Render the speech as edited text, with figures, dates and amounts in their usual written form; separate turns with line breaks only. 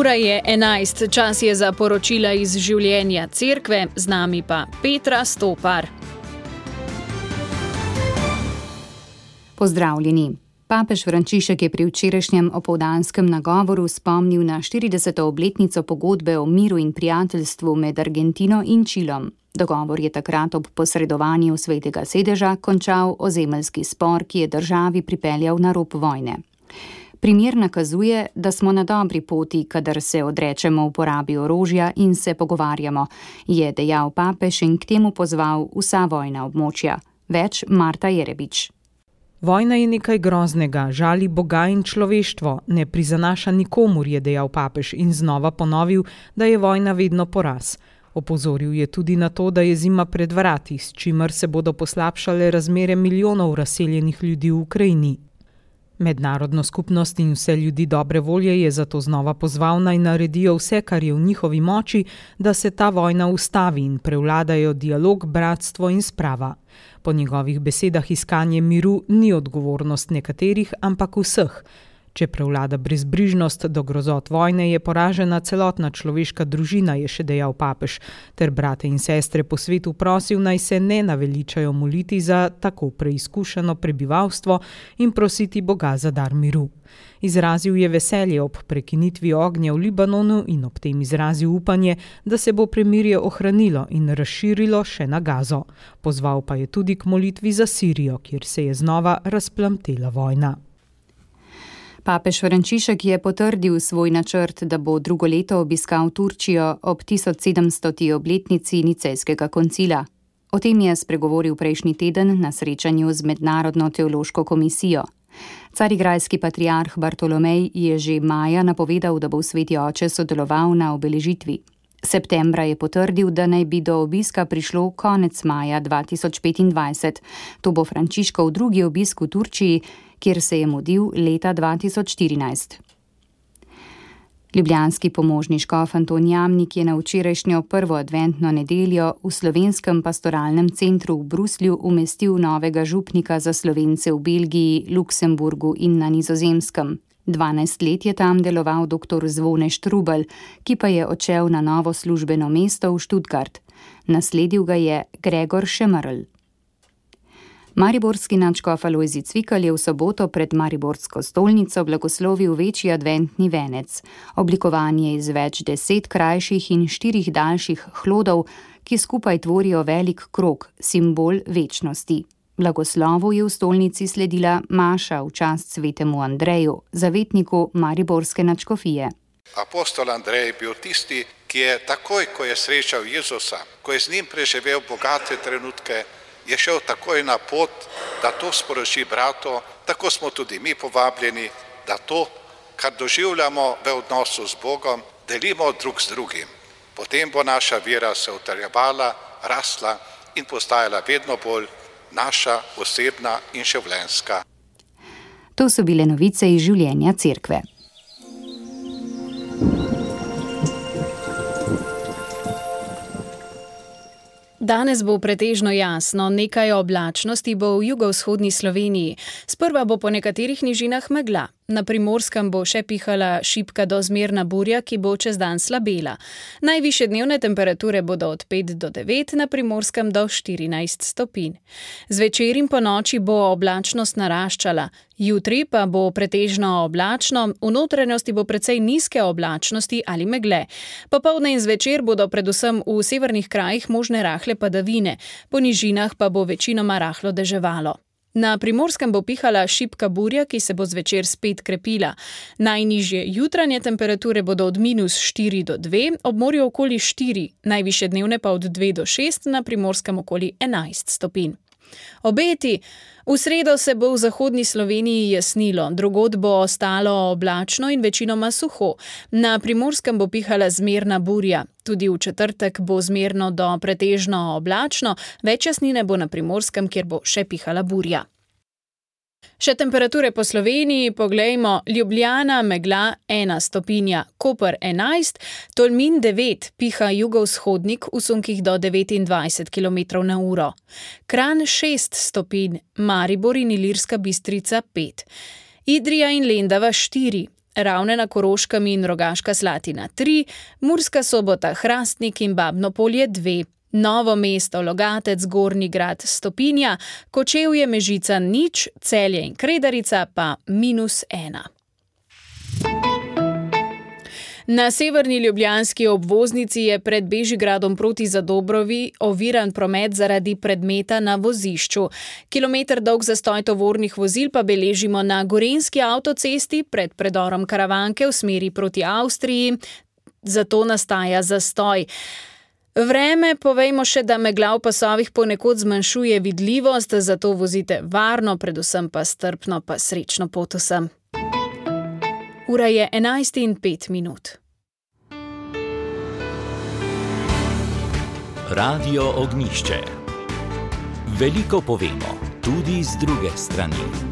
Ura je 11, čas je za poročila iz življenja cerkve, z nami pa Petra Stopar.
Pozdravljeni. Papež Frančišek je pri včerajšnjem opoldanskem nagovoru spomnil na 40. obletnico pogodbe o miru in prijateljstvu med Argentino in Čilom. Dogovor je takrat ob posredovanju Svetega sedeža končal ozemeljski spor, ki je državi pripeljal na rob vojne. Primer nakazuje, da smo na dobri poti, kadar se odrečemo uporabi orožja in se pogovarjamo, je dejal papež in k temu pozval vsa vojna območja. Več Marta Jerebič.
Vojna je nekaj groznega, žali Boga in človeštvo, ne prizanaša nikomur, je dejal papež in znova ponovil, da je vojna vedno poraz. Opozoril je tudi na to, da je zima pred vrati, s čimer se bodo poslabšale razmere milijonov razseljenih ljudi v Ukrajini. Mednarodno skupnost in vse ljudi dobre volje je zato znova pozval, naj naredijo vse, kar je v njihovi moči, da se ta vojna ustavi in prevladajo dialog, bratstvo in sprava. Po njegovih besedah iskanje miru ni odgovornost nekaterih, ampak vseh. Če prevlada brezbrižnost do grozot vojne, je poražena celotna človeška družina, je še dejal papež, ter brate in sestre po svetu prosil, naj se ne naveličajo moliti za tako preizkušeno prebivalstvo in prositi Boga za dar miru. Izrazil je veselje ob prekinitvi ognja v Libanonu in ob tem izrazil upanje, da se bo premirje ohranilo in razširilo še na Gazo. Pozval pa je tudi k molitvi za Sirijo, kjer se je znova razplamtela vojna.
Papež Frančišek je potrdil svoj načrt, da bo drugo leto obiskal Turčijo ob 1700. obletnici Nicejskega koncila. O tem je spregovoril prejšnji teden na srečanju z Mednarodno teološko komisijo. Carigrajski patriarh Bartolomej je že maja napovedal, da bo Sveti oče sodeloval na obeležitvi. Septembra je potrdil, da naj bi do obiska prišlo konec maja 2025. To bo Frančiškov drugi obisk v Turčiji, kjer se je mudil leta 2014. Ljubljanski pomožni škof Anton Jamnik je na včerajšnjo prvo adventno nedeljo v Slovenskem pastoralnem centru v Bruslju umestil novega župnika za Slovence v Belgiji, Luksemburgu in na Nizozemskem. 12 let je tam deloval dr. Zvone Štrubelj, ki pa je odšel na novo službeno mesto v Stuttgart. Nasledil ga je Gregor Šemerl. Mariborski nadškof Alojzij Cvikl je v soboto pred mariborsko stolnico blagoslovil večji adventni venec. Oblikovan je iz več 10 krajših in 4 daljših hlodov, ki skupaj tvorijo velik krog, simbol večnosti. Blagoslovu je v stolnici sledila maša v čast svetemu Andreju, zavetniku mariborske nadškofije.
Apostol Andrej je bil tisti, ki je takoj, ko je srečal Jezusa, ko je z njim preživel bogate trenutke, je šel takoj na pot, da to sporoči bratu. Tako smo tudi mi povabljeni, da to, kar doživljamo v odnosu z Bogom, delimo drug z drugim. Potem bo naša vera se utrjevala, rasla in postajala vedno bolj naša osebna in življenjska.
To so bile novice iz življenja cerkve.
Danes bo pretežno jasno, nekaj oblačnosti bo v jugovzhodni Sloveniji. Sprva bo po nekaterih nižinah megla. Na Primorskem bo še pihala šibka do zmerna burja, ki bo čez dan slabela. Najvišje dnevne temperature bodo od 5 do 9, na Primorskem do 14 stopinj. Zvečer in po noči bo oblačnost naraščala. Jutri pa bo pretežno oblačno, v notranjosti bo precej nizke oblačnosti ali megle. Popoldne in zvečer bodo predvsem v severnih krajih možne rahle padavine, po nižinah pa bo večinoma rahlo deževalo. Na Primorskem bo pihala šibka burja, ki se bo zvečer spet krepila. Najnižje jutranje temperature bodo od -4 do 2, ob morju okoli 4, najvišje dnevne pa od 2 do 6, na Primorskem okoli 11 stopinj. Obeti. V sredo se bo v zahodni Sloveniji jasnilo, drugod bo ostalo oblačno in večinoma suho. Na Primorskem bo pihala zmerna burja. Tudi v četrtek bo zmerno do pretežno oblačno, več jasnine bo na Primorskem, kjer bo še pihala burja. Še temperature po Sloveniji, poglejmo, Ljubljana megla 1 stopinja, Koper 11, Tolmin 9, piha jugovzhodnik v sunkih do 29 km/h. Kranj 6 stopinj, Maribor in Ilirska Bistrica 5. Idrija in Lendava 4, Ravne na Koroškem in Rogaška Slatina 3, Murska Sobota, Hrastnik in Babno Polje 2. Novo Mesto, Logatec, Gornji Grad, Stopinja, Kočevje, Mežica 0, Celje in Kredarica pa -1. Na severni ljubljanski obvoznici je pred Bežigradom proti Zadobrovi oviran promet zaradi predmeta na vozišču. Kilometer dolg zastoj tovornih vozil pa beležimo na Gorenjski avtocesti pred predorom Karavanke v smeri proti Avstriji, zato nastaja zastoj. Vreme povejmo še, da megla v pasovih ponekod zmanjšuje vidljivost, zato vozite varno, predvsem pa strpno, pa srečno pot vsem. Ura je 11:05.
Radio Ognjišče. Veliko povemo, tudi z druge strani.